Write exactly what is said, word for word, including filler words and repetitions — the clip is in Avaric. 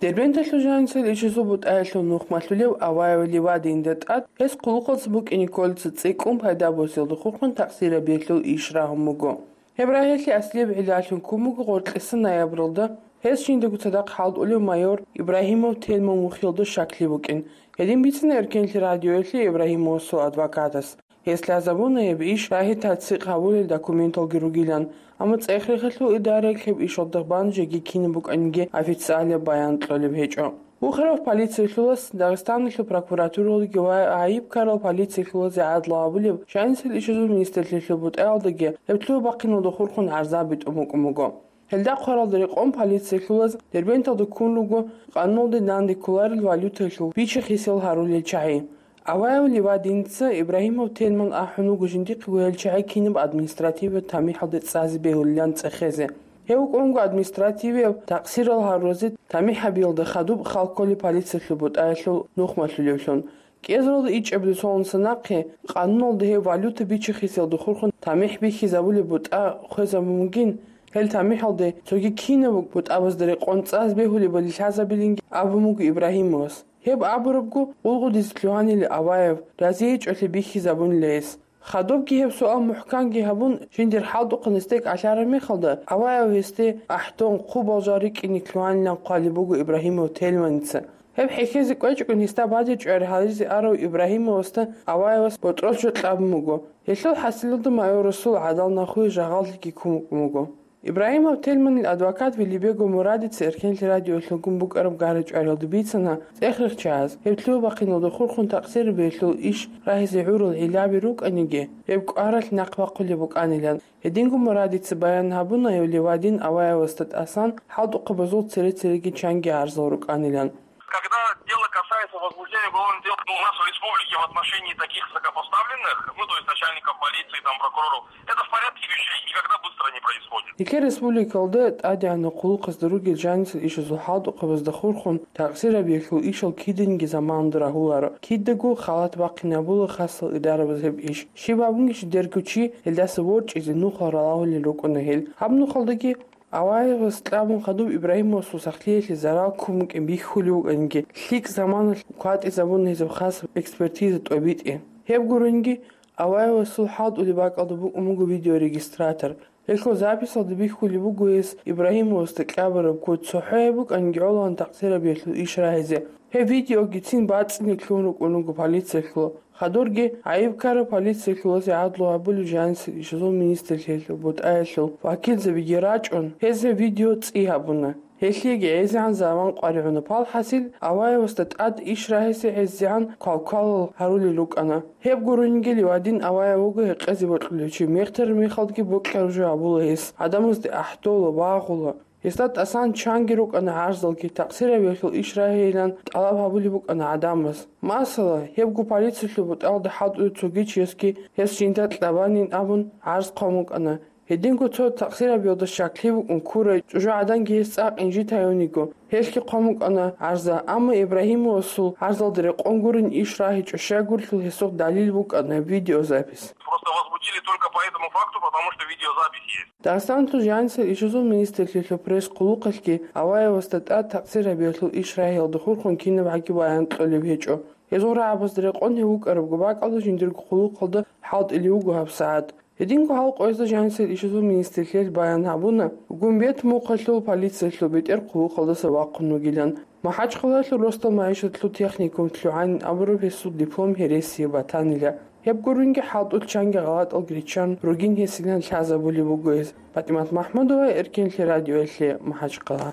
Дербенталъул жанисел ишазул бутӀаялъул нухмалъулев Аваев Ливадинда тӀад гьес хъулухъалъ букӀине кколеца цӀикӀкӀун пайда босиялда хурхун такъсирабиялъул иш рагьун буго. Гьеб рагьиялъе аслияб гӀиллалъун ккун буго гъоркьиса ноябралда гьес жиндаго цадахъ хӀалтӀулев майор Ибрагьимов Тельман вухиялда щаклъи букӀин. Гьедин бицина Эркенлъи радиоялъе Ибрагьимовасул адвокатас. Гьес лъазабуна гьеб иш рагьи-тасдикъ гьабулел документалги ругилан, амма ЦӀехрихъалъул идараялъ гьеб ишалда бан жеги кинаб букӀаниги официалияб баян кьолеб гьечӀо. Ухарав полициялъулас, Дагъистаналъул прокуратуралдаги ва гӀайиб ккарал полициялъулазе гӀадлу гьабулеб жанисел ишазул министрлъиялъул бутӀаялдаги гьеб лъугьа бахъиналда хурхун гӀарзаби тӀун букӀун буго. Гьелда хъваралда рекъон полициялъулаз Дербенталда ккун руго къануналде данде кколарел валютаялъул бичи-хисел гьарулел чагӀи. Аваев Ливадинца Ибрагьимов Тельман ахӀун вуго жиндихъего гьел чагӀи кинаб административияб тамихӀалде цӀазе бегьулилан цӀехезе. Гьев вукӀунго административияб такъсирал гьаруразе тамихӀ гьабиялда хадуб хал кколеб полициялъул бутӀаялъул нухмалъулевлъун. КӀиазаралда ичӀабилеб соналдаса нахъе къануналда гьев валюта бичи-хиселда хурхун тамихӀ бихьизабулеб бутӀа хвезабун бугин, гьел тамихӀалде цоги кинаб бутӀабазда рекъон цӀазе бегьулебали лъазабилинги абун буго Ибрагьимовас. Гьеб абурабго, гъулгъудизе лъугьанила Аваев, разиячӀолъи бихьизабунила гьес. Хадубги гьеб суал мухӀканги гьабун, жиндир хӀалтӀухъан гьесде кӀалъараб мехалда, Аваев гьесде ахӀдон, хъубал жал рикӀкӀине лъугьанилан хъвалеб буго Ибрагьимов Тельманица. Гьеб хӀехьезе кӀвечӀого гьесда бадиб чӀвари гьаризе арав Ибрагьимовасда Аваевас ботӀролъ жо кьабун буго. Гьелъул хӀасилалда майорасул гӀадал нахуе жагъаллъиги ккун букӀун буго. Ибрагьимов Тельманил адвокат Велибего Мурадица Эркенлъи радиоялъ гьабун букӀараб гара-чӀваралда бицана цӀехрихъчагӀаз гьеб лъугьа-бахъиналда хурхун такъсирабиялъул иш рагьизе гӀурал гӀиллаби рукӀаниги, гьеб кӀваралъ нахъ бахъулеб букӀанилан. Гьединго Мурадица баян гьабуна гьев Ливадин Аваевасда тӀасан хӀалтӀухъабазул цере-цереги чанги гӀарзал рукӀанилан. Когда дело касается возбуждения уголовных дел у нас в республике в отношении таких высокопоставленных, ну, то есть начальников полиции, там, прокуроров, это в порядке вещей, никогда быстро не происходит. Нилъер республикалда тӀадегӀанав хъулухъазда ругел жанисел ишазул хӀалтӀухъабазда хурхун такъсирабиялъул ишал киданги заманалда рагьуларо, кидаго халат бахъинабула хасал идарабаз гьеб иш. Щиб абунищ, дерго чи гьелдаса ворчӀизе нухал ралагьулел рукӀуна гьел. Гьаб нухалдаги Аваевас кьабун хадуб Ибрагьимовасул сахлъиялъе зарал ккун букӀин бихьулев вукӀаниги, лъикӀ заманалъ кватӀизабуна гьезаб хас экспертиза тӀобитӀи. Гьеб гуринги, Аваевасул хӀалтӀулеб бакӀалда букӀун буго видеорегистратор. Гьелъул записалда бихьулеб буго гьес Ибрагьимовасда кьабараб куц цохӀо гьеб букӀаниги гӀоло такъсирабиялъул иш рагьизе. Гьеб видеогицин бацӀцӀине лъугьун рукӀун руго полициялъул. Хадурги гӀайиб ккараб полициялъулазе гӀадлу гьабулеб жанисел ишазул министрлъиялъул бутӀаялъул вакилзабиги рачӀун, гьез гьеб видео цӀи гьабуна. Гьелъиеги гӀезегӀан заман къваригӀуна. Палхасил, Аваевасда тӀад иш рагьизе гӀезегӀан квалквалал гьарулел рукӀана. Гьеб гуринги Ливадин Аваев вуго гьекъезе бокьулев чи, мехтараб мехалдги бокьараб жо гьабула гьес, гӀадамазде ахӀдола, багъула. Гьесда тӀасан чанги рукӀана гӀарзалги, такъсирабиялъул иш рагьейилан тӀалаб гьабулеб букӀана гӀадамаз. Масала, гьебго полициялъул бутӀалда хӀалтӀулев цоги чиясги гьес жинда кьабанин абун гӀарз хъван букӀана. Гьединго цо такъсирабиялда щаклъи букӀун ккурай чӀужугӀаданги гьес цӀакъ инжит гьаюниго, гьелъги хъван букӀана гӀарза, амма Ибрагьимовасул гӀарзалда рекъон гурин иш рагьичӀо щайгурелъул гьесухъ далил букӀана видеозапись. Просто возбудили только по этому факту, потому что видеозапись есть. Дагъистаналъул жанисел ишазул министрлъиялъул пресс-хъулухъалъги Аваевасда тӀад такъсирабиялъул иш рагьиялда хурхун кинабгӀаги баян кьолеб гьечӀо. Гьезул рагӀабазда рекъон гьев вукӀарабго бакӀалда жиндирго хъулухъалда хӀалтӀулев вуго гьабсагӀат. Гьединго гьал къоязда жанисел ишазул министрлъиялъ баян гьабуна, Гумбет мухъалъул полициялъул бетӀер хъулухъалдаса вахъун вугилан. МахӀачхъалаялъул росдал магӀишатлъул техникум лъугӀанин абураб гьесул диплом гьересияб батанила. Гьеб гуринги хӀалтӀулъ чанги гъалатӀалги риччан ругин гьесилан лъазабулеб буго гьес. ПатӀимат МахӀмудова, Эркенлъи радиоялъе, МахӀачхъала.